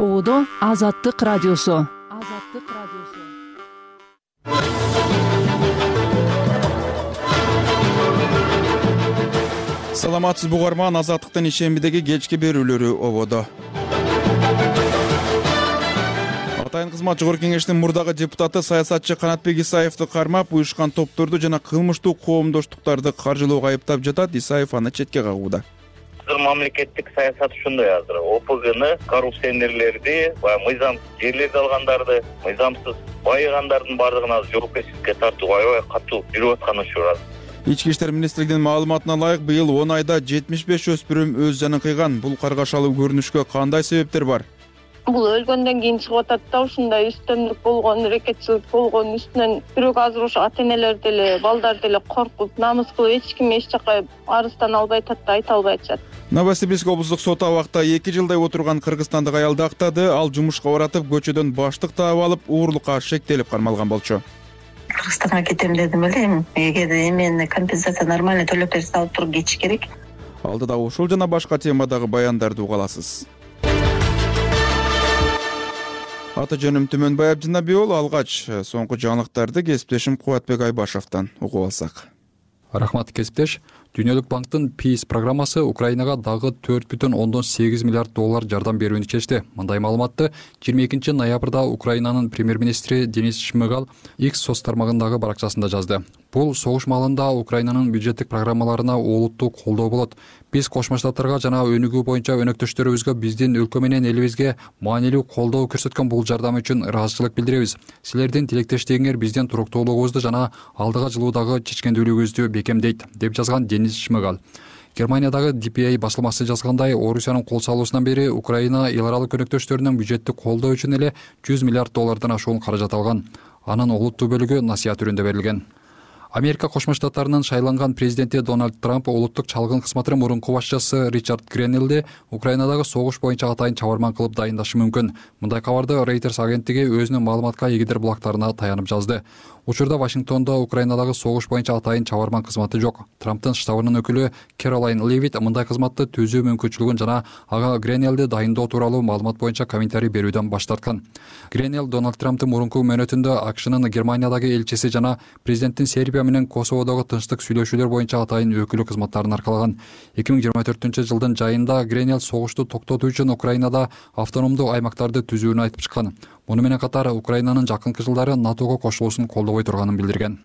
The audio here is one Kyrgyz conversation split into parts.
Ободо Азаттык радиосу. Саламатсызбы угарман, Азаттыктын ишембидеги кечки берүүлөрү ободо. Атайын кызмат жогорку кеңештин мурдагы депутаты саясатчы Канатбек Исаевди кармап, уюшкан топторду жана кылмыштуу коомдоштуктарды каржылоого айыптап жатат. Исаев аны четке кагууда. Мамлекеттик саясат ушундай азыр. ОПГны, коррупционерлерди, мыйзамсыз жерлерди алгандарды, мыйзамсыз байыгандардын баардыгына жоопкерчиликке тартуу аябай катуу жүрүп аткан учур. Ички иштер министрлигинин маалыматына ылайык, быйыл 10 айда 75 өспүрүм өз жанын кыйган. Бул каргашалуу көрүнүшкө кандай себептер бар? Бул өлгөндөн кийин чыгып атат да, ушундай үстөмдүк болгон, рекетчилик болгон үстүнөн бирок азыр ошо ата-энелер деле, балдар деле коркуп, намыс кылып эч ким эч жака арыздан албай атат да, айта албай атышат. Новосибирск облустук сот абакта 2 жылдай отурган кыргызстандык аялды актады. Ал жумушка баратып, көчөдөн баштык таап алып, уурулукка шектелип кармалган болчу. Кыргызстанга кетем дедим эле. Эгерде эмени компенсация нормально төлөп берсе алып туруп кетиш керек. Алдыда ушул жана башка темадагы баяндарды уга аласыз. Аты жөнүм Түмөнбай Абдинабиол. Алгач соңку жаңылыктарды кесиптешим Кубатбек Айбашевден угуп алсак. Рахмат кесиптеш. Дүйнөлүк банктын Peace программасы Украинага дагы 4,8 миллиард доллар жардам берүүнү чечти. Мындай маалыматты 22 ноябрда Украинанын премьер-министри Денис Шмыгал X соц тармагындагы баракчасында жазды. Бул согуш маалында Украинанын бюджеттик программаларына олуттуу колдоо болот. Биз Кошмо Штаттарга жана өнүгүү боюнча өнөктөштөрүбүзгө биздин өлкө менен элибизге маанилүү колдоо көрсөткөн бул жардам үчүн ыраазычылык билдиребиз. Силердин тилектештигиңер биздин туруктуулугубузду жана алдыга жылуудагы чечкендүүлүгүбүздү бекемдейт, деп жазган Денис Шмыгал. Германиядагы DPA басылмасы жазгандай, Орусиянын кол салуусунан бери Украина эл аралык өнөктөштөрүнүн бюджеттик колдоо үчүн эле 100 миллиард доллардан ашуун каражат алган. Анын олуттуу бөлүгү насыят түрүндө берилген. Америка Кошмо Штаттарынын шайланган президенти Дональд Трамп улуттук чалгын кызматынын мурунку башчысы Ричард Гренелди Украинадагы согуш боюнча атайын чабарман кылып дайындашы мүмкүн. Мындай кабарды Reuters агенттиги өзүнүн маалыматка эгидир булактарына таянып жазды. Учурда Вашингтондо Украинадагы согуш боюнча атайын чабарман кызматы жок. Трамптын штабынын өкүлү Кэролайн Левит мындай кызматты түзүү мүмкүнчүлүгүн жана ага Гренелди дайындоо тууралуу маалымат боюнча комментарий берүүдөн баш тарткан. Гренел Дональд Трамптын мурунку мөөнөтүндө АКШнын Германиядагы элчиси жана президенттин Сербия менен Косоводогу тынчтык сүйлөшүүлөр боюнча атайын өкүлү кызматтарын аркалаган. 2024-жылдын жайында Гренел согушту токтотуу үчүн Украинада автономдуу аймактарды түзүүнү айтып чыккан. Муну менен катар Украинанын жакынкы жылдары НАТОго кошулуусун колдобой турганын билдирген.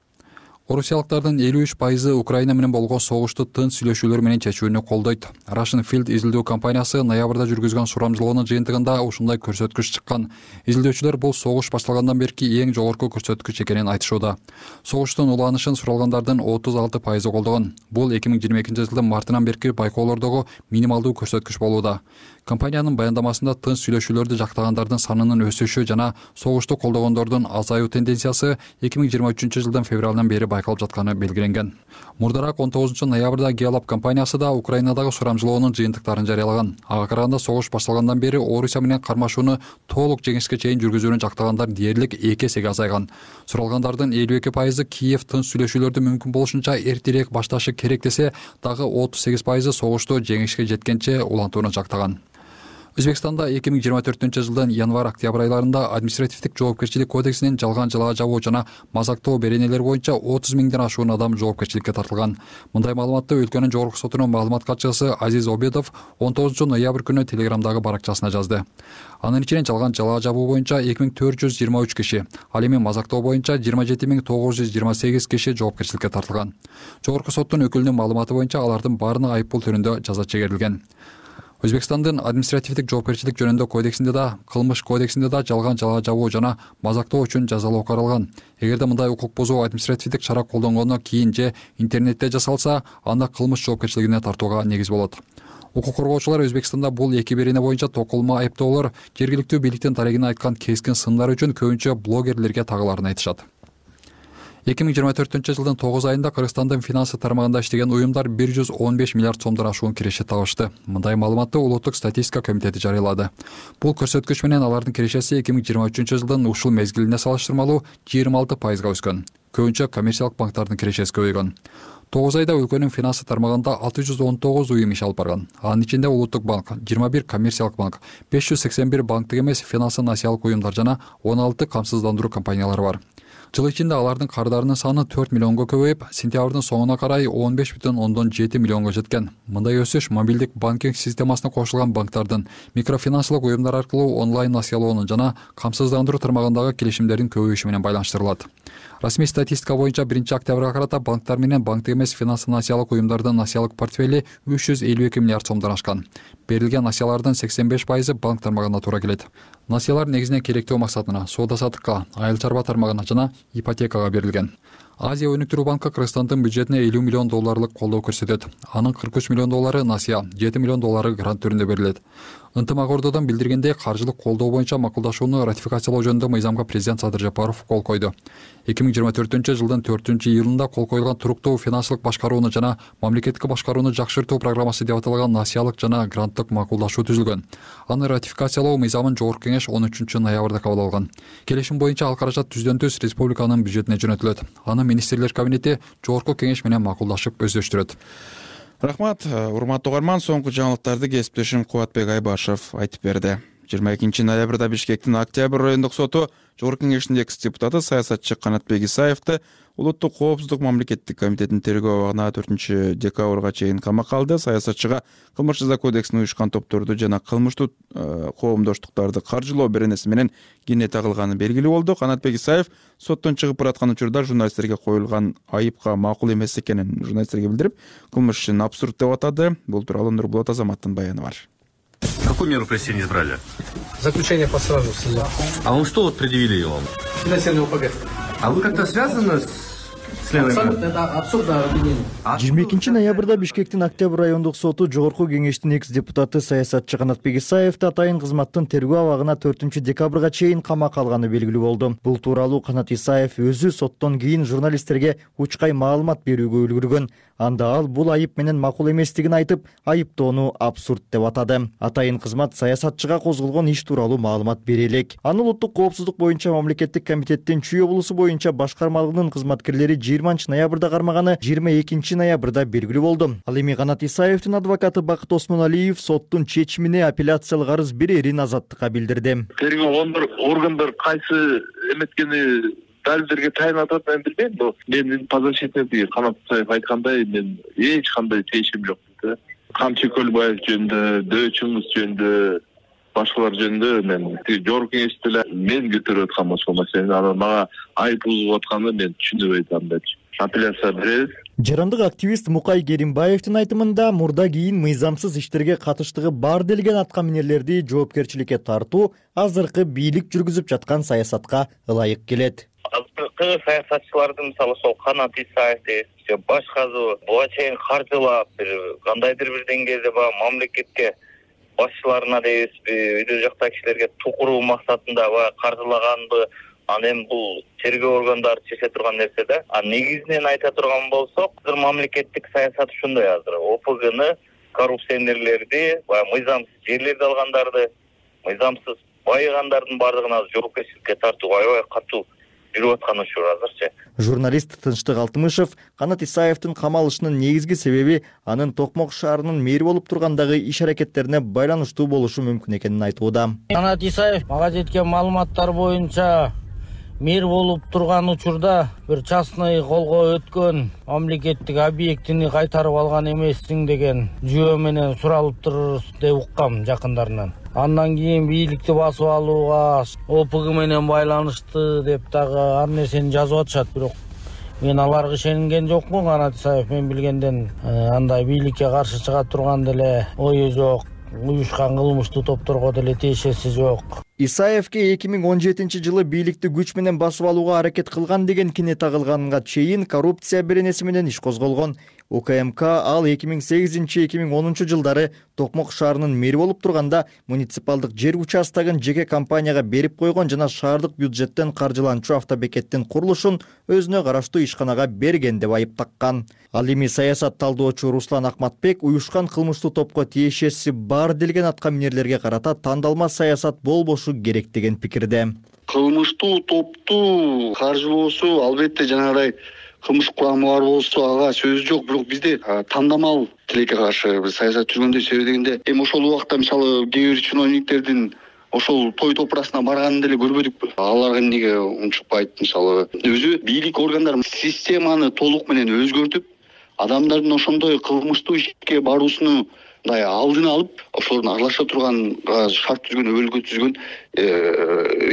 Орусиялыктардын 53% Украина менен болгон согушту тынч сүйлөшүүлөр менен чечүүнү колдойт. Russian Field изилдөө компаниясы ноябрда жүргүзгөн сурамжылоонун жыйынтыгында ушундай көрсөткүч чыккан. Изилдөөчүлөр бул согуш башталгандан берки эң жогорку көрсөткүч экенин айтышууда. Согуштун уланышын суралгандардын 36% колдогон. Бул 2022-жылдын мартынан берки байкоолордогу минималдуу көрсөткүч болууда. Компаниянын баяндамасында тынч сүйлөшүүлөрдү жактагандардын санынын өсүшү жана согушту колдогондордун азаюу тенденциясы 2023-жылдын февралынан бери байкалып жатканы белгиленген. Мурдараак 19 ноябрда Gallup компаниясы да Украинадагы сурамжылоонун жыйынтыктарын жарыялаган. Ага караганда согуш башталгандан бери Орусия менен кармашууну толук жеңишке чейин жүргүзүүнү жактагандар дээрлик 2 эсеге азайган. Суралгандардын 52% Киев тынч сүйлөшүүлөрдү мүмкүн болушунча эртерээк башташы керек десе, дагы 38% согушту жеңишке жеткенче улантууну жактаган. Өзбекстанда 2024-жылдын январь-октябрь айларында административдик жоопкерчилик кодексинин жалган жалаа жабуу жана мазактоо беренелери боюнча 30 миңден ашуун адам жоопкерчиликке тартылган. Мындай маалыматты өлкөнүн жогорку сотунун маалымат катчысы Азиз Обедов 19 ноябрь күнү Телеграмдагы баракчасына жазды. Анын ичинен жалган жалаа жабуу боюнча 2423 киши, ал эми мазактоо боюнча 27928 киши жоопкерчиликке тартылган. Жогорку соттун өкүлүнүн маалыматы боюнча алардын баарына айыппул түрүндө жаза чегерилген. Өзбекстандын административдик жоопкерчилик жөнүндө кодексинде да, кылмыш кодексинде да жалган жалаа жабуу жана мазактоо үчүн жазалоо каралган. Эгерде мындай укук бузуу административдик чара колдонгондон кийин же интернетте жасалса, анда кылмыш жоопкерчилигине тартууга негиз болот. Укук коргоочулар Өзбекстанда бул эки берене боюнча токулма айыптоолор жергиликтүү бийликтин тарыгына айткан кескин сындар үчүн көбүнчө блогерлерге тагыларын айтышат. 2024-жылдын 9 айында Кыргызстандын финансы тармагында иштеген уюмдар 115 миллиард сомдон ашуун киреше табышты. Мындай маалыматты Улуттук статистика комитети жарыялады. Бул көрсөткүч менен алардын кирешеси 2023-жылдын ушул мезгилине салыштырмалуу 26%га өскөн. Көбүнчө коммерциялык банктардын кирешеси көбөйгөн. 9 айда өлкөнүн финансы тармагында 619 уюм иш алып барган. Анын ичинде Улуттук банк, 21 коммерциялык банк, 581 банктык эмес финансы насыялык уюмдар жана 16 камсыздандыруу компаниялары бар. Жыл ичинде алардын карыздарынын саны 4 миллионго көбөйүп, сентябрдын соңуна карай 15,7 миллионго жеткен. Мындай өсүш мобилдик банкинг системасына кошулган банктардын микрофинансылык уюмдар аркылуу онлайн насыялоонун жана камсыздандыруу тармагындагы келишимдердин көбөйүшү менен байланыштырылат. Расмий статистика боюнча 1-октябрга карата банктар менен банктык эмес финансы насыялык уюмдардын насыялык портфели 352 миллиард сомдон ашкан. Берилген насыялардын 85% банк тармагына туура келет. Насыялар негизинен керектөө максатына, соода-саттыкка, айыл чарба тармагына жана ипотекага берилген. Азия өнүктүрүү банкы Кыргызстандын бюджетине 50 миллион долларлык колдоо көрсөтөт. Анын 43 миллион доллары насыя, 7 миллион доллары грант түрүндө берилет. Ынтымак ордодон билдиргендей, каржылык колдоо боюнча макулдашууну ратификациялоо жөнүндө мыйзамга президент Садыр Жапаров кол койду. 2024-жылдын 4-июлунда кол коюлган туруктуу финансылык башкарууну жана мамлекеттик башкарууну жакшыртуу программасы деп аталган насыялык жана гранттык макулдашуу түзүлгөн. Аны ратификациялоо мыйзамын Жогорку кеңеш 13-ноябрда кабыл алган. Келишим боюнча ал каражат түздөн-түз республиканын бюджетине жөнөтүлөт. Аны министрлер кабинети Жогорку кеңеш менен макулдашып өздөштүрөт. Рахмат, урматтуу угарман, соңку жаңылыктарды кесиптешим Кубатбек Айбашев айтып берди. 22-ноябрда Бишкектин Октябрь райондук соту Жогорку кеңештин экс-депутаты саясатчы Канатбек Исаевди Улуттук коопсуздук мамлекеттик комитетинин тергөө абагына 4-декабрга чейин камакка алды. Саясатчыга кылмыш жаза кодексине уюшкан топторду жана кылмыштуу коомдоштуктарды каржылоо беренеси менен кийине тагылганы белгилүү болду. Канатбек Исаев соттон чыгып бараткан учурда журналисттерге коюлган айыпка макул эмес экенин журналисттерге билдирип, кылмыш ишин абсурд деп атады. Бул тууралуу Нурбулат Азаматтын баяны бар. Какую меру пресечения избрали? Заключение по сразу в суде. А он что вот предъявили вам? Финансирование ОПГ. А вы как-то связаны с членами? Абсолютно, это абсурдное обвинение. 22-ноябрда Бишкектин Октябрь райондук соту Жогорку кеңештин экс-депутаты саясатчы Канатбек Исаевди атайын кызматтын тергөө абагына 4-декабрга чейин камакка алганы белгилүү болду. Бул тууралуу Канат Исаев өзү соттон кийин журналисттерге учкай маалымат берүүгө үлгүргөн. Анда ал бул айып менен макул эместигин айтып, айыптоону абсурд деп атады. Атайын кызмат саясатчыга козголгон иш тууралуу маалымат бере элек. Аны Улуттук коопсуздук боюнча мамлекеттик комитеттин Чүй облусу боюнча башкармалыгынын кызматкерлери 20-ноябрда кармаганы 22-ноябрда белгилүү болду. Ал эми Канат Исаевдин адвокаты Бакыт Осмоналиев соттун чечимине апелляциялык арыз берерин Азаттыкка билдирди. Тергөө органдар кайсы эметкени далилдерге тайын атат, мен билбейм. Менин подзащитный Канат Исаев айткандай, мен эч кандай тиешим жок. Камчы Көлбаев жөнүндө, Дөчүңүз жөнүндө, башкалар жөнүндө мен Жогорку кеңеште эле мен көтөрүп аткан ошол маселени, анан мага айып угуп атканын мен түшүнбөй атам деп. Апелляция беребиз. Жарандык активист Мукай Керимбаевдин айтымында мурда кийин мыйзамсыз иштерге катыштыгы бар делген аткаминерлерди жоопкерчиликке тартуу азыркы бийлик жүргүзүп жаткан саясатка ылайык келет. Азыркы саясатчылардын мисалы ошол Канат Исаевди же башкасы буга чейин каржылап кандайдыр бир деңгээлде мамлекетке башчыларына дейбизби, өйдө жакта кишилерге тукуруу максатында каржылаганды анан бул тергөө органдары чече турган нерсе да. Негизинен айта турган болсок, азыр мамлекеттик саясат ушундай азыр. ОПГны, коррупционерлерди, мыйзамсыз жерлерди алгандарды, мыйзамсыз байыгандардын бардыгына жоопкерчиликке тартууга аябай катуу жүрүп аткан учур азырчы. Журналист Тынчтык Алтымышев Канат Исаевдин камалышынын негизги себеби анын Токмок шаарынын мэри болуп тургандагы иш аракеттерине байланыштуу болушу мүмкүн экенин айтууда. Канат Исаев мага жеткен маалыматтар боюнча мэр болуп турган учурда бир частный колго өткөн мамлекеттик объектини кайтарып алган эмессиң деген жөө менен суралыптыр деп уккам жакындарынан. Андан кийин бийликти басып алууга ОПГ менен байланышты деп дагы ар нерсени жазып атышат, бирок мен аларга ишенген жокмун. Канат Исаев мен билгенден андай бийликке каршы чыга турган деле ою жок, уюшкан кылмыштуу топторго деле тиешеси жок. Исаевке 2017-жылы бийликти күч менен басып алууга аракет кылган деген кине тагылганга чейин коррупция беренеси менен иш козголгон. УКМК ал 2008-2010 жылдары Токмок шаарынын мэри болуп турганда муниципалдык жер участогун жеке компанияга берип койгон жана шаардык бюджеттен каржыланчу автобекеттин курулушун өзүнө караштуу ишканага берген деп айып таккан. Ал эми саясат талдоочу Руслан Акматбек уюшкан кылмыштуу топко тиешеси бар делген аткаминерлерге карата тандалма саясат болбошу керек деген пикирде. Кылмыштуу топту каржылоосу албетте жанагындай кылмыш курамы бар болсо ага сөз жок. Бирок бизде тандамал тилекке каршы биз саясат жүргөндө себеби дегенде ошол убакта мисалы кээ бир чиновниктердин ошол той топурасына барганын деле көрбөдүкпү. Аларга эмнеге унчукпайт? Мисалы өзү бийлик органдары системаны толук менен өзгөртүп, адамдардын ошондой кылмыштуу ишке баруусуну мындай алдын алып, ошолордун аралаша турган шарт түзгөн, өбөлгө түзгөн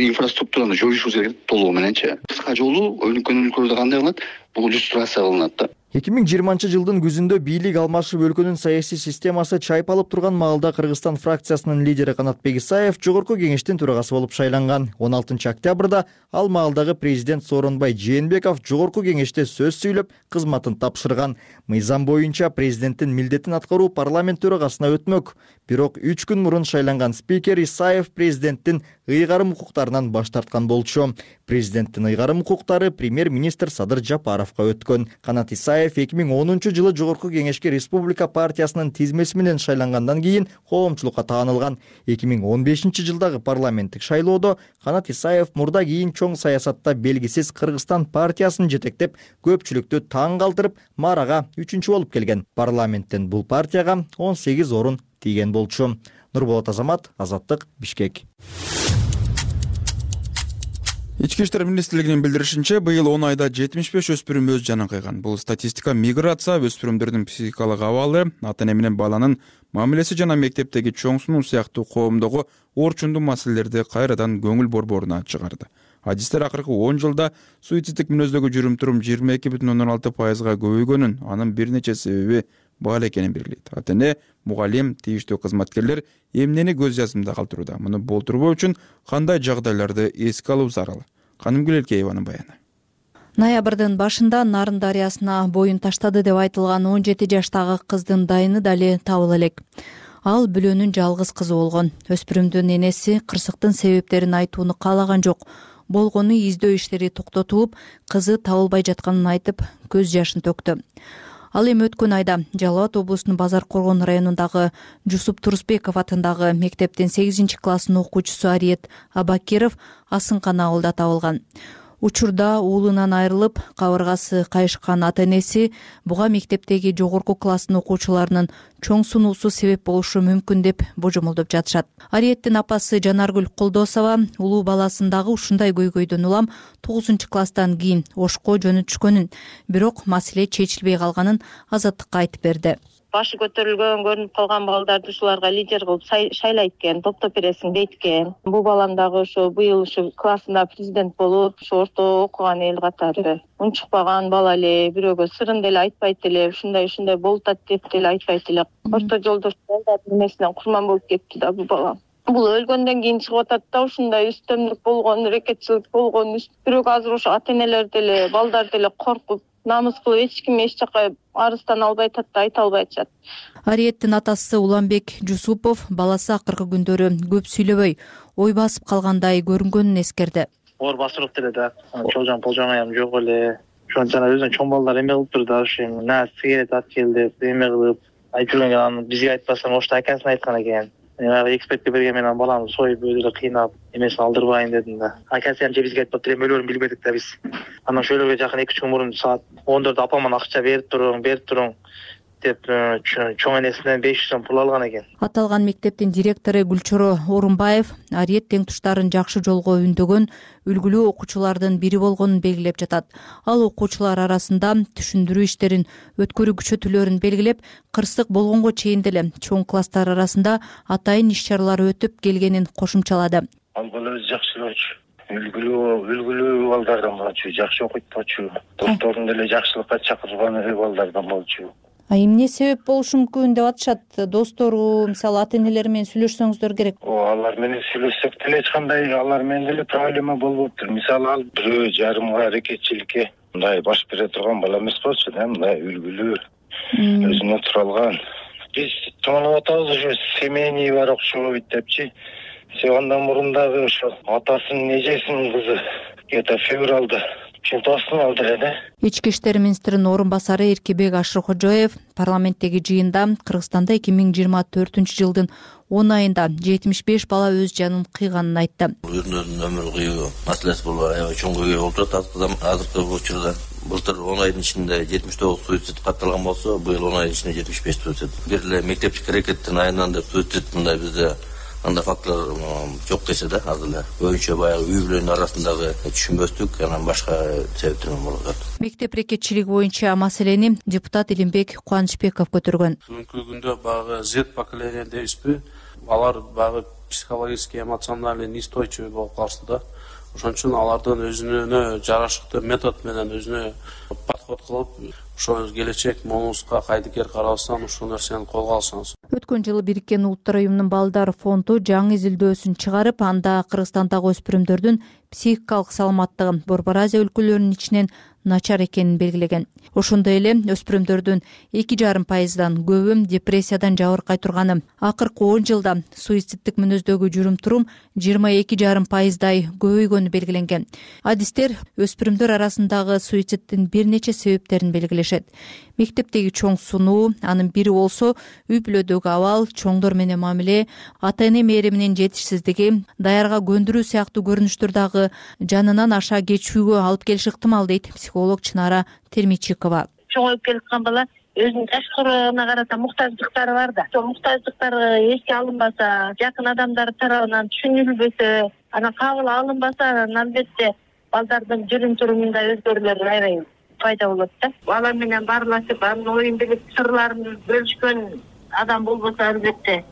инфраструктураны жоюшубуз керек толугу мененчи. Кыска жолу өнүккөн өлкөлөрдө кандай кылынат? Бул иллюстрация кылынат да. 2020-жылдын күзүндө бийлик алмашып өлкөнүн саясий системасы чайпалып турган маалда Кыргызстан фракциясынын лидери Канатбек Исаев Жогорку кеңештин төрагасы болуп шайланган. 16-октябрда ал маалдагы президент Сооронбай Жээнбеков Жогорку кеңеште сөз сүйлөп, кызматын тапшырган. Мыйзам боюнча президенттин милдетин аткаруу парламент төрагасына өтмөк. Бирок 3 күн мурун шайланган спикер Исаев президенттин ыйгарым укуктарынан баш тарткан болчу. Президенттин ыйгарым укуктары премьер-министр Садыр Жапаровго өткөн. Канат Исаев 2010-жылы Жогорку кеңешке Республика партиясынын тизмеси менен шайлангандан кийин коомчулукка таанылган. 2015-жылдагы парламенттик шайлоодо Канат Исаев мурда кийин чоң саясатта белгисиз Кыргызстан партиясын жетектеп, көпчүлүктү таң калтырып, маарага 3-чү болуп келген. Парламенттен бул партияга 18 орун тийген болчу. Нурболот Азамат, Азаттык, Бишкек. Ички иштер министрлигинин билдиришинче, быйыл 10 айда 75 өспүрүм өз жанын кыйган. Бул статистика миграция, өспүрүмдөрдүн психикалык абалы, ата-эне менен баланын мамилеси жана мектептеги чоң сунуу сыяктуу коомдогу орчундуу маселелерди кайрадан көңүл борборуна чыгарды. Адистер акыркы 10 жылда суициддик мүнөздөгү жүрүм-турум 22,16%га көбөйгөнүн, анын бир нече себеби баал экенин белгилейт. Ата-эне, мугалим, тийиштүү кызматкерлер эмнени көз жазымда калтырууда? Муну болтурбоо үчүн кандай жагдайларды эске алуу зарыл? Канымгүл Элкееванын баяны. Ноябрдын башында Нарын дарыясына боюн таштады деп айтылган 17 жаштагы кыздын дайыны дали табыла элек. Ал бүлөнүн жалгыз кызы болгон. Өспүрүмдүн энеси кырсыктын себептерин айтууну каалаган жок. Болгону издөө иштери токтотулуп, кызы табылбай жатканын айтып, көз жашын төктү. Ал эми өткөн айда Жалал Абад облусунун Базар Коргон районундагы Жусуп Турусбеков атындагы мектептин 8-класснын окуучусу Ариет Абакиров Асынкана ауылда табылган. Учурда уулунан айрылып, кабыргасы кайышкан ата-энеси буга мектептеги жогорку класстын окуучуларынын чоң сунуусу себеп болушу мүмкүн деп божомолдоп жатышат. Ариеттин апасы Жанаргүл Колдосова улуу баласындагы ушундай көйгөйдөн улам 9-класстан кийин Ошко жөнөтүшкөнүн, бирок маселе чечилбей калганын Азаттыкка айтып берди. Башы көтөрүлгөн, көрүнүп калган балдарды ушуларга лидер кылып шайлайт экен, топтоп бересиң дейт экен. Бул балам дагы ошо быйыл ушу классында президент болуп, ушу орто окуган эл катары. Унчукпаган бала эле, бирөөгө сырын деле айтпайт эле, ушундай болуп атат деп деле айтпайт эле. Орто жолдо балдардын эмесинен курман болуп кетти да бул бала. Бул өлгөндөн кийин чыгып атат да, ушундай үстөмдүк болгон, рекетчилик болгон. Бирок азыр ошо ата-энелер деле, балдар деле коркуп, намыс кылып эч ким эч жака арыздан албай атат да, айта албай атышат. Ариеттин атасы Уланбек Жусупов баласы акыркы күндөрү көп сүйлөбөй, ой басып калгандай көрүнгөнүн эскерди. Оор басырып деле да, чолжон полжоңаям жок эле. Ошон жана өзүнүн чоң балдар эме кылып тур да, ошо на сигарет ат кел деп эме кылып айтып жүргөн, анан бизге айтпастан ошто акасына айткан экен. Экспертке берген менен баламды союп өзү кыйнап эмесин алдырбайын дедим да. Акасы же бизге айтпаптыр, эми өлөрүн билбедик да биз. Анан ошолорго жакын 2-3 күн мурун саат 14 апаман акча берип туруң деп чоң энесинен 500 сом пул алган экен. Аталган мектептин директору Гүлчоро Орунбаев Ариет теңтуштарын жакшы жолго үндөгөн үлгүлүү окуучулардын бири болгонун белгилеп жатат. Ал окуучулар арасында түшүндүрүү иштерин өткөрүү күчөтүүлөрүн белгилеп, кырсык болгонго чейин деле чоң класстар арасында атайын иш-чаралар өтүп келгенин кошумчалады. Ал бала өзү жакшы болчу. Үлгүлүү балдардан болчу, жакшы окуйт болчу. Досторун деле жакшылыкка чакырган балдардан болчу. Эмне себеп болушу мүмкүн деп атышат? Достору, мисалы ата-энелери менен сүйлөшсөңүздөр керек. Алар менен сүйлөшсөк деле эч кандай алар менен деле проблема болбоптур. Мисалы ал бирөө жарымга аракетчиликке мындай баш бере турган бала эмес болчу да, мындай үлгүлүү, өзүнө туралган. Биз тоонуп атабыз, ушу семейный бар окшойт депчи. Андан мурун дагы ошо атасынын эжесинин кызы где-то февралда чемпионатын алды эле. Ички иштер министринин орун басары Эркебек Ашыркожоев парламенттеги жыйында Кыргызстанда 2024-жылдын 10 айында 75 бала өз жанын кыйганын айтты. Өзүнүн өмүрү кыйуу маселеси бул аябай чоң көйгөй болуп жатат азыркы учурда. былтыр 10 айдын ичинде 79 суицид катталган болсо, быйыл 10 айдын ичинде 75 суицид. Бир эле мектептик аракеттин айынан деп суицид мындай бизде андай факторлор жок десе да, азыр эле көбүнчө баягы үй бүлөнүн арасындагы түшүнбөстүк, анан башка себептер болуп атат. Мектеп рекетчилиги боюнча маселени депутат Илимбек Кубанычбеков көтөргөн. Бүгүнкү күндө багы Z поколение дейбизби? Алар багы психологически, эмоциональный неустойчивый болуп калышты да. Ошон үчүн алардын өзүнө жарашыктуу метод менен өзүнө подход кылып, ошо келечек момузга кайдыгер карабастан ушул нерсени колго алсаңыз. Өткөн жылы Бириккен Улуттар уюмунун балдар фонду жаңы изилдөөсүн чыгарып, анда Кыргызстандагы өспүрүмдөрдүн психикалык саламаттыгы Борбор Азия өлкөлөрүнүн ичинен начар экенин белгилеген. Ошондой эле өспүрүмдөрдүн 2,5%дан көбү депрессиядан жабыркай турганы. Акыркы 10 жылда суициддик мүнөздөгү жүрүм-турум 22,5%дай көбөйгөнү белгиленген. Адистер өспүрүмдөр арасындагы суициддин бир нече себептерин белгилешет. Мектептеги чоң сунуу, анын бири болсо үй бүлөдөгү абал, чоңдор менен мамиле, ата-эне мээриминин жетишсиздиги, даярга көндүрүү сыяктуу көрүнүштөр дагы жанынан аша кечүүгө алып келиши ыктымал дейт психолог Чынара Термичикова. Чоңоюп келаткан бала өзүнүн ташкырына карата муктаждыктары бар да. Ошол муктаждыктары эске алынбаса, жакын адамдар тарабынан түшүнүлбөсө, анан кабыл алынбаса, анан албетте балдардын жүрүм-турумунда өзгөрүүлөр аябай пайда болот да. Бала менен баарлашып, анын оюн билип, сырларын бөлүшкөн адам болбосо, албетте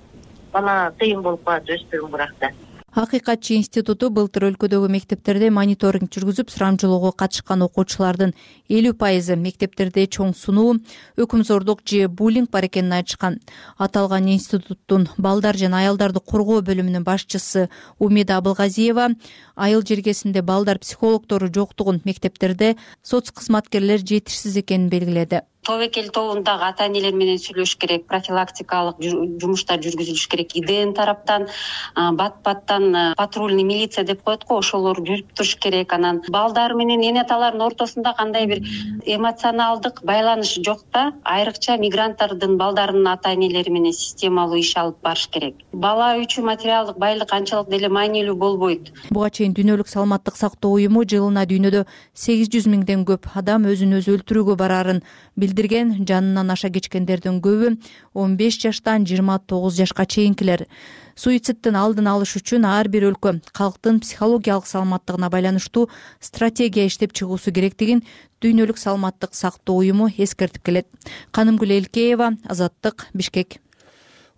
бала кыйын болуп калат өспүрүм уракта. Акыйкатчы институту былтыр өлкөдөгү мектептерде мониторинг жүргүзүп, сурамжылоого катышкан окуучулардын 50% мектептерде чоң сунуу, өкүмзордук же буллинг бар экенин айтышкан. Аталган институттун балдар жана аялдарды коргоо бөлүмүнүн башчысы Умида Абылгазиева айыл жергесинде балдар психологдору жоктугун, мектептерде соц кызматкерлер жетишсиз экенин белгиледи. Тобокел тобундагы ата-энелер менен сүйлөшүш керек, профилактикалык жумуштар жүргүзүлүш керек. ИДН тараптан, бат-баттан патрульный милиция деп коет го, ошолор жүрүп туруш керек. Анан балдар менен эне аталардын ортосунда кандай бир эмоционалдык байланыш жок да, айрыкча мигранттардын балдарынын ата-энелери менен системалуу иш алып барыш керек. Бала үчүн материалдык байлык анчалык деле маанилүү болбойт. Буга чейин Дүйнөлүк саламаттык сактоо уюму жылына дүйнөдө 800 миңден көп адам өзүн өзү өлтүрүүгө барарын билдирген. Жанынан аша кечкендердин көбү 15 жаштан 29 жашка чейинкилер. Суициддин алдын алыш үчүн ар бир өлкө калктын психологиялык саламаттыгына байланыштуу стратегия иштеп чыгуусу керектигин Дүйнөлүк саламаттык сактоо уюму эскертип келет. Канымгүл Элкеева, Азаттык, Бишкек.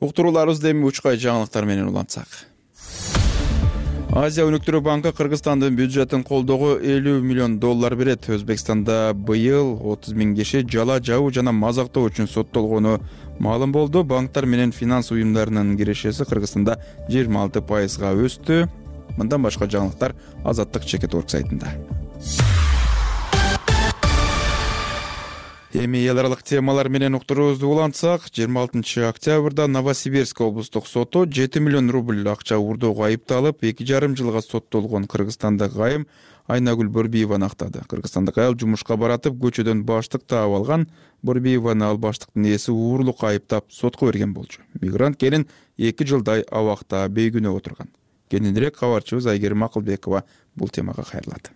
Уктурууларыбызды эми учкай жаңылыктар менен улантсак. Азия өнүктүрүү банкы Кыргызстандын бюджетин колдоого $50 миллион берет. Өзбекстанда быйыл 30 миң киши жала жабуу жана мазактоо үчүн соттолгону маалым болду. Банктар менен финанс уюмдарынын кирешеси Кыргызстанда 26%га өстү. Мындан башка жаңылыктар Азаттык Чекет.орг сайтында. Эми эл аралык темалар менен уктуруубузду улантсак, 26 октябрда Новосибирск облустук соту 7 миллион рубль акча уурдоого айыпталып, 2,5 жылга соттолгон кыргызстандык айым Айнагүл Борбиеваны актады. Кыргызстандык айыл жумушка баратып, көчөдөн баштык таап алган. Борбиеваны ал баштыктын ээси уурлукка айыптап сотко берген болчу. Мигрант келин 2 жылдай абакта бейгүнөө отурган. Кененирээк кабарчыбыз Айгерим Акылбекова бул темага кайрылат.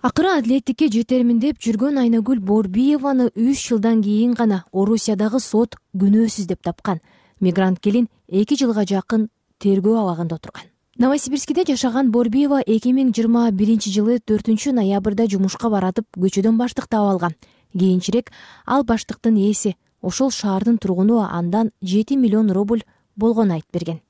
Акыры адилеттикке жетермин деп жүргөн Айнагүл Борбиеваны 3 жылдан кийин гана Орусиядагы сот күнөөсүз деп тапкан. Мигрант келин 2 жылга жакын тергөө абагында отурган. Новосибирскиде жашаган Борбиева 2021 жылы 4 ноябрда жумушка баратып, көчөдөн баштык таап алган. Кийинчерээк ал баштыктын ээси, ошол шаардын тургуну андан 7 миллион рубль болгонун айтып берген.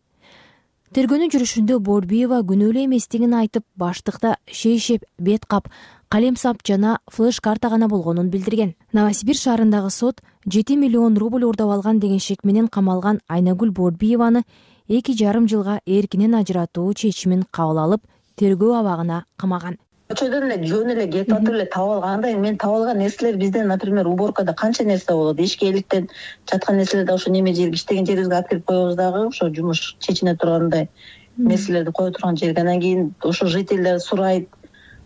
Тергөөнүн жүрүшүндө Борбиева күнөөлүү эместигин айтып, баштыкта шейшеп, бет кап, калем сап жана флеш карта гана болгонун билдирген. Новосибирск шаарындагы сот 7 миллион рубль уурдап алган деген шек менен камалган Айнагүл Борбиеваны 2,5 жылга эркинен ажыратуу чечимин кабыл алып, тергөө абагына камаган. Көчөдөн эле жөн эле кетип атып эле таап алганда, мен таап алган нерселер бизден, например, уборкада канча нерсе болот. Эшкейликтен жаткан нерселер да ошо неме жерге, иштеген жерибизге алып келип коебуз дагы, ошо жумуш чечине тургандай нерселерди кое турган жерге. Анан кийин ошо жительдер сурайт,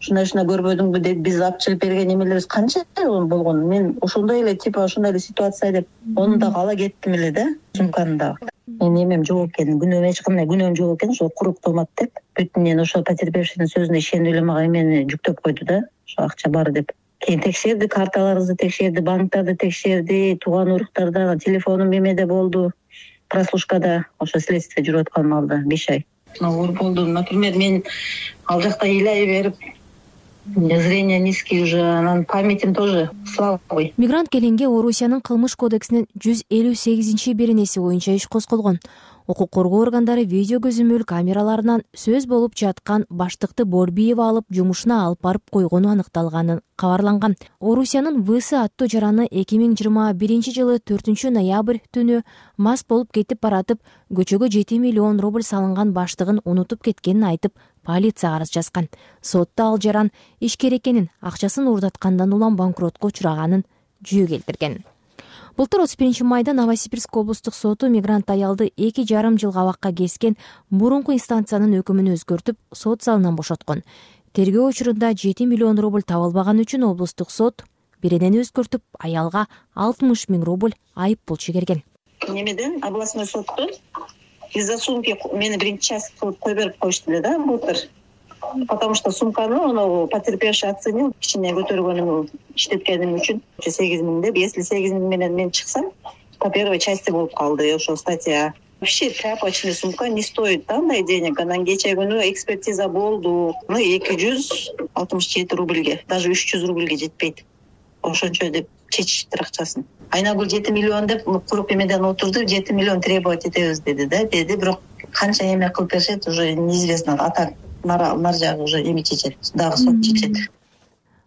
ушундай көрбөдүңбү деп биз алып чыгып берген немелерибиз канча болгон. Мен ошондой эле ошондой эле ситуация деп ону дагы ала кеттим эле да, сумканы дагы. Мен эмем жок экен, күнөөм эч кандай күнөөм жок экен, ошо курук томат деп. Бүтүн мен ошо потерпевшинин сөзүнө ишенип эле мага эмени жүктөп койду да, ошо акча бар деп. Кийин текшерди, карталарыбызды текшерди, банктарды текшерди, тууган уруктарда телефонум эмеде болду, прослушкада, ошо следствие жүрүп аткан маалда 5 ай. Оор болду. Например, мен ал жакта ыйлай берип, зрение низкий уже, анан памятим тоже слабый. Мигрант Келинге Орусиянын кылмыш кодексинин 158-беренеси боюнча иш козголгон. Укук коргоо органдары видео көзөмөл камераларынан сөз болуп жаткан баштыкты Борбиева алып жумушуна алып барып койгону аныкталганын кабарланган. Орусиянын ВС аттуу жараны 2021-жылы 4-ноябрь түнү мас болуп кетип баратып, көчөгө 7 миллион рубль салынган баштыгын унутуп кеткенин айтып, полицияга арыз жазган. Сотто ал жаран ишкер экенин, акчасын уурдаткандан улам банкротко учраганын жүйө келтирген. Былтыр 31-майда Новосибирск облустук соту мигрант аялды 2,5 жыл кабакка кескен мурунку инстанциянын өкүмүн өзгөртүп, сот залынан бошоткон. Тергөө учурунда 7 миллион рубль табылбаган үчүн облустук сот биринен өзгөртүп, аялга 60 000 рубль айып пул чегерген. Немеден областной соттон из-за сумки мени биринчи час кылып кой берип коюшту эле да былтыр. Потому что сумканы потерпевший оценил, кичине көтөргөнүмө иштеткеним үчүн 8 000 деп, если 8 000 менен мен чыксам, по первой части болуп калды ошо статья. Вообще тряпочный сумка не стоит андай денег. Анан кече күнү экспертиза болду. 267 рубльге, даже 300 рубльге жетпейт. Ошончо деп чечиштир акчасын. Айнагүл 7 миллион деп куруп эмеден отурду, 7 миллион требовать этебиз деди да, бирок канча эме кылып беришет уже неизвестно. А так нар жагы уже эми чечет, дагы сот чечет.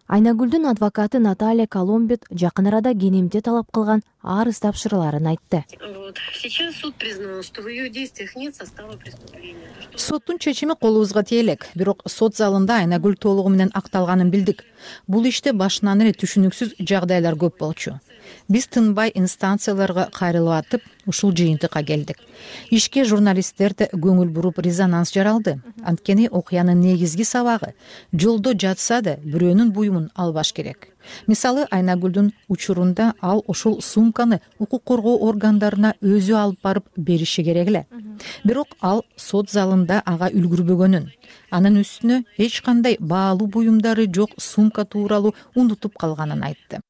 Айнагүлдүн адвокаты Наталья Коломбет жакын арада кенемде талап кылган арыз тапшырыларын айтты. Сейчас суд признал, что в ее действиях нет состава преступления. Соттун чечими колубузга тие элек, бирок сот залында Айнагүл толугу менен акталганын билдик. Бул иште башынан эле түшүнүксүз жагдайлар көп болчу. Биз тынбай инстанцияларга кайрылып атып, ушул жыйынтыкка келдик. Ишке журналисттер да көңүл буруп резонанс жаралды. Анткени окуянын негизги сабагы жолдо жатса да бирөөнүн буюмун албаш керек. Мисалы, Айнагүлдүн учурунда ал ушул сумканы укук коргоо органдарына өзү алып барып бериши керек эле. Бирок ал сот залында ага үлгүрбөгөнүн, анын үстүнө эч кандай баалуу буюмдары жок сумка тууралуу унутуп калганын айтты.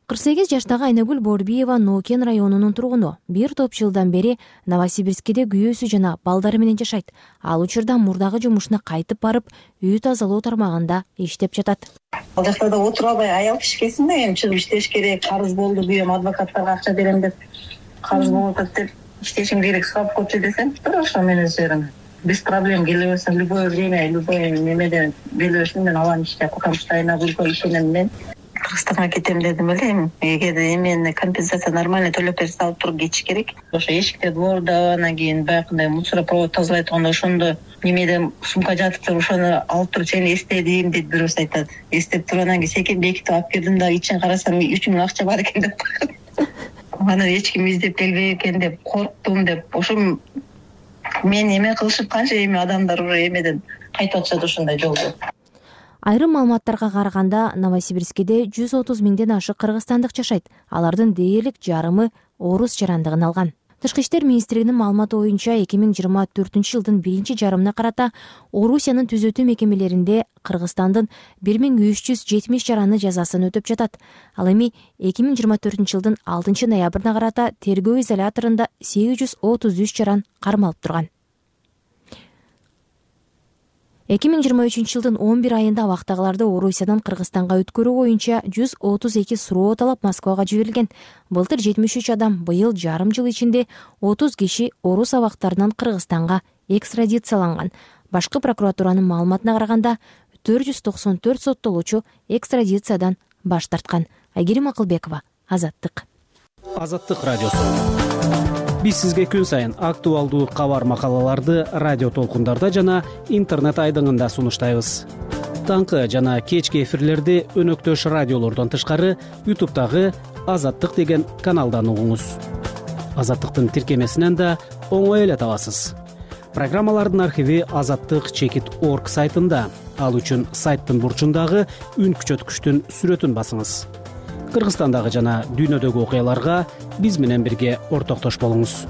48 жаштагы Айнагүл Борбиева Нокен районунун тургуну. Бир топ жылдан бери Новосибирскиде күйөөсү жана балдары менен жашайт. Ал учурда мурдагы жумушуна кайтып барып, үй тазалоо тармагында иштеп жатат. Ал жакта да отура албай аял кишкесин да эми чыгып иштеш керек, карыз болду, күйөөм адвокаттарга акча берем деп, карыз болуп атат деп иштешим керек, сурап көчү десем, ошо мен өз без проблем келе берсем, любое время, любое немеде келе берсем мен алам иштеп, потому что Айнагүлгө ишенем мен. Кыргызстанга кетем дедим эле, эгерде эмени компенсация нормально төлөп берсе алып туруп кетиш керек. Ошо эшикте дворда, анан кийин баягындай мусоропровод тазалай турганда ошондо немеде сумка жатыптыр, ошону алып туруп сени эстедим дейт бирөөсү айтат. Эстеп туруп анан кийин секин бекитип алып келдим да, ичин карасам 3 000 акча бар экен деп койгон. Аны эч ким издеп келбей экен деп корктум деп. Ошо мен эме кылышып канча эми адамдар уже эмеден кайтып атышат ошондой жолдо. Айрым маалыматтарга караганда Новосибирскиде 130 000ден ашык кыргызстандык жашайт. Алардын дээрлик жарымы орус жарандыгын алган. Тышкы иштер министрлигинин маалыматы боюнча 2024-жылдын биринчи жарымына карата Орусиянын түзөтүү мекемелеринде Кыргызстандын 1370 жараны жазасын өтөп жатат. Ал эми 2024-жылдын 6 ноябрына карата тергөө изоляторунда 833 жаран кармалып турган. 2023-жылдын 11 айында абактагыларды Орусиядан Кыргызстанга өткөрүү боюнча 132 суроо талап Москвага жиберилген. Былтыр 73 адам, быйыл жарым жыл ичинде 30 киши орус абактарынан Кыргызстанга экстрадицияланган. Башкы прокуратуранын маалыматына караганда 494 соттолуучу экстрадициядан баш тарткан. Айгерим Акылбекова, Азаттык. Азаттык радиосу. Биз сизге күн сайын актуалдуу кабар макалаларды радио толкундарда жана интернет айдыңында сунуштайбыз. Таңкы жана кечки эфирлерди өнөктөш радиолордон тышкары YouTube'дагы Азаттык деген каналдан угуңуз. Азаттыктын тиркемесинен да оңой эле табасыз. Программалардын архиви azattik.org сайтында. Ал үчүн сайттын бурчундагы үн күчөткүчтүн сүрөтүн басыңыз. Кыргызстандагы жана дүйнөдөгү окуяларга биз менен бирге ортоктош болуңуз.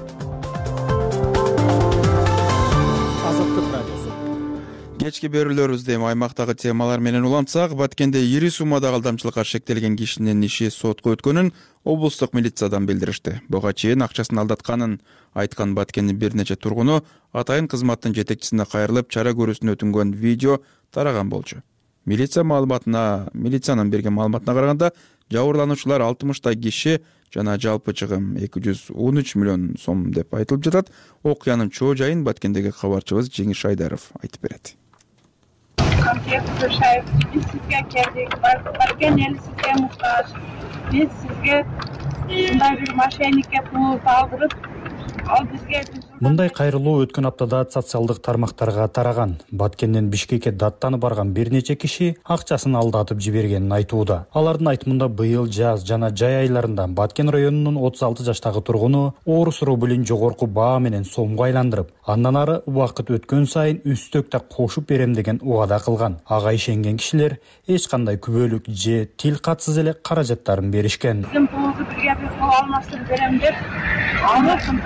кечки берүүлөрүбүздө эми аймактагы темалар менен улантсак, Баткенде ири суммадагы алдамчылыкка шектелген кишинин иши сотко өткөнүн облустук милициядан билдиришти. Буга чейин акчасын алдатканын айткан Баткендин бир нече тургуну атайын кызматтын жетекчисине кайрылып, чара көрүүсүнө өтүнгөн видео тараган болчу. Милициянын берген маалыматына караганда, жабырлануучулар 60 киши жана жалпы чыгым 213 миллион сом деп айтылып жатат. Окуянын чоо жайын Баткендеги кабарчыбыз Жеңиш Айдаров айтып берет. Биз сизге келдик. Баткен эли сизге муктаж. Биз сизге мындай бир мошенникке пул алдырып, ал бизге Мындай кайрылуу өткөн аптада социалдык тармактарга тараган. Баткенден Бишкекке даттанып барган бир нече киши акчасын алдатып жибергенин айтууда. Алардын айтымында быйыл жаз жана жай айларында Баткен районунун 36 жаштагы тургуну орус рублин жогорку баа менен сомго айландырып, андан ары убакыт өткөн сайын үстөк да кошуп берем деген убада кылган. Ага ишенген кишилер эч кандай күбөлүк же тил катсыз эле каражаттарын беришкен. Биздин пулубузду бирге бир кол алмаштырып берем деп алып,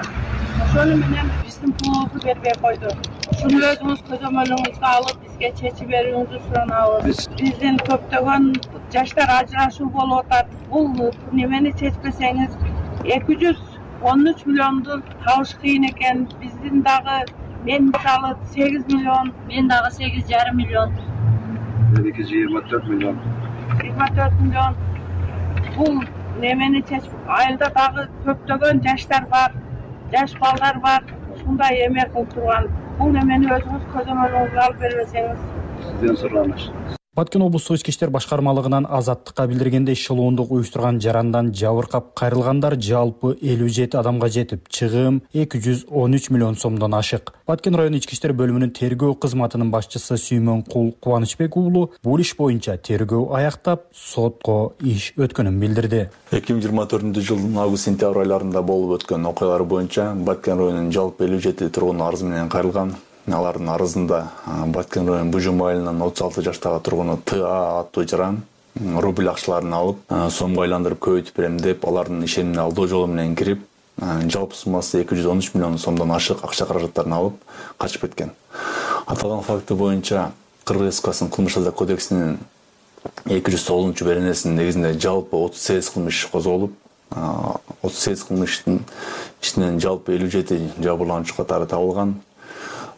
ошону менен биздин пулубузду бербей койду. Ушуну өзүңүз көзөмөлүңүзгө алып, бизге чечип берүүңүздү суранабыз. Биздин көптөгөн жаштар ажырашуу болуп атат. Бул немени чечпесеңиз 213 миллионду табыш кыйын экен. Биздин дагы мен мисалы 8 миллион, мен дагы 8,5 миллион. 24 миллион. 24 миллион. Бул немени чечип, айылда дагы көптөгөн жаштар бар. Жаш балдар бар, ушундай эме кылып турган. Бул немени өзүңүз көзөмөлүңүзгө алып бербесеңиз, сизден сураныш. Баткен облустук ички иштер башкармалыгынан Азаттыкка билдиргендей, шылуундук уюштурган жарандан жабыркап кайрылгандар жалпы 57 адамга жетип, чыгым 213 миллион сомдон ашык. Баткен район ички иштер бөлүмүнүн тергөө кызматынын башчысы Сүймөн Кубанычбек уулу бул иш боюнча тергөө аяктап, сотко иш өткөнүн билдирди. 2024-жылдын август-сентябрь айларында болуп өткөн окуялар боюнча Баткен районунун жалпы 57 тургун арыз менен кайрылган. Алардын арызында Баткен район Бужум айылынын 36 жаштагы тургуну ТА аттуу жаран рубль акчаларын алып, сомго айландырып көбөйтүп берем деп, алардын ишенимине алдоо жолу менен кирип, жалпы суммасы 213 миллион сомдон ашык акча каражаттарын алып качып кеткен. Аталган факты боюнча Кыргыз Республикасынын кылмыш жаза кодексинин 209 беренесинин негизинде жалпы 38 кылмыш козголуп, 38 кылмыштын ичинен жалпы 57 жабырлануучу катары табылган.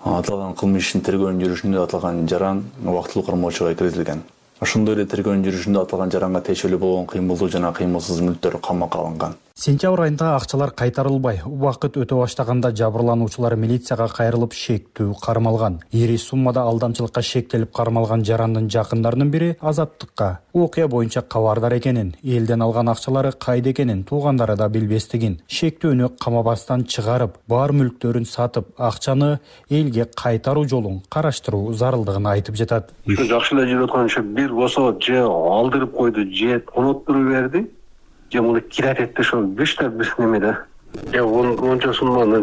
Аталган кылмыш ишин тергөөнүн жүрүшүндө аталган жаран убактылуу кармоочуга киргизилген. Ошондой эле тергөөнүн жүрүшүндө аталган жаранга тиешелүү болгон кыймылдуу жана кыймылсыз мүлктөр камакка алынган. Сентябрь айында акчалар кайтарылбай, убакыт өтө баштаганда жабырлануучулар милицияга кайрылып шектүү кармалган. Ири суммада алдамчылыкка шектелип кармалган жарандын жакындарынын бири Азаттыкка окуя боюнча кабардар экенин, элден алган акчалары кайда экенин туугандары да билбестигин, шектүүнү камабастан чыгарып, бар мүлктөрүн сатып, акчаны элге кайтаруу жолун караштыруу зарылдыгын айтып жатат. Жакшы эле жүрүп аткан бир болсо же алдырып койду, же уnuttуруп берди. Же муну кират этти ошо бүштө бир немеде. Онча сумманы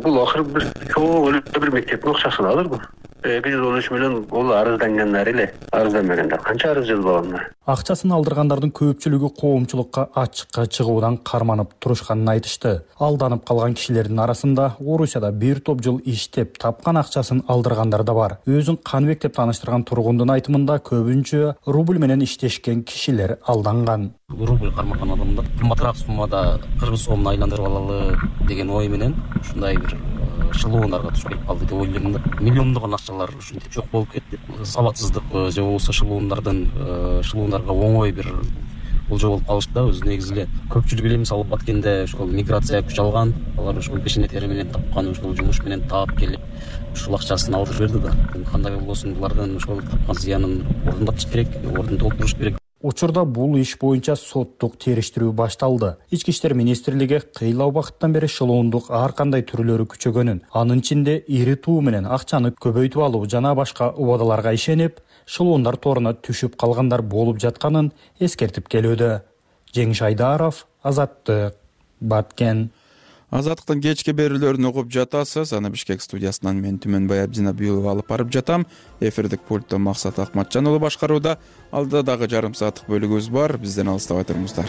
бул акыры бир чоң эле бир мектептин акчасын алырбы? 213 миллион бул арыздангандар эле. Арызданбагандар канча арыз жазбагандар. Акчасын алдыргандардын көпчүлүгү коомчулукка ачыкка чыгуудан карманып турушканын айтышты. Алданып калган кишилердин арасында Орусияда бир топ жыл иштеп тапкан акчасын алдыргандар да бар. Өзүн Каныбек деп тааныштырган тургундун айтымында көбүнчө рубль менен иштешкен кишилер алданган. Рубль кармаган адамдар кымбатыраак суммада кыргыз сомун айландырып алалы деген ой менен ушундай бир шылуундарга туш келип калды деп ойлойм да. Миллиондогон акчалар ушинтип жок болуп кетти. Сабатсыздык же болбосо шылуундарга оңой бир болжол болуп калышты да. Өзү негизи эле көпчүлүк эле мисалы Баткенде ошол миграция күч алган, алар ошол пешене тери менен тапкан ошол жумуш менен таап келип ушул акчасын алдырып берди да. Кандай болбосун булардын ошол тапкан зыянын ордундатыш керек, ордун толтуруш керек. Учурда бул иш боюнча соттук териштирүү башталды. Ички иштер министрлиги кыйла убакыттан бери шылуундук ар кандай түрлөрү күчөгөнүн, анын ичинде ири туу менен акчаны көбөйтүп алуу жана башка убадаларга ишенип, шылуундар торуна түшүп калгандар болуп жатканын эскертип келүүдө. Жеңиш Айдаров, Азаттык, Баткен. Азаттыктын кечки берүүлөрүн угуп жатасыз. Аны Бишкек студиясынан мен Түмөнбай Абдинабиулов алып барып жатам. Эфирдик пульттө Максат Акматжан уулу башкарууда. Алдыда дагы жарым сааттык бөлүгүбүз бар. Бизден алыстабай туруңуздар.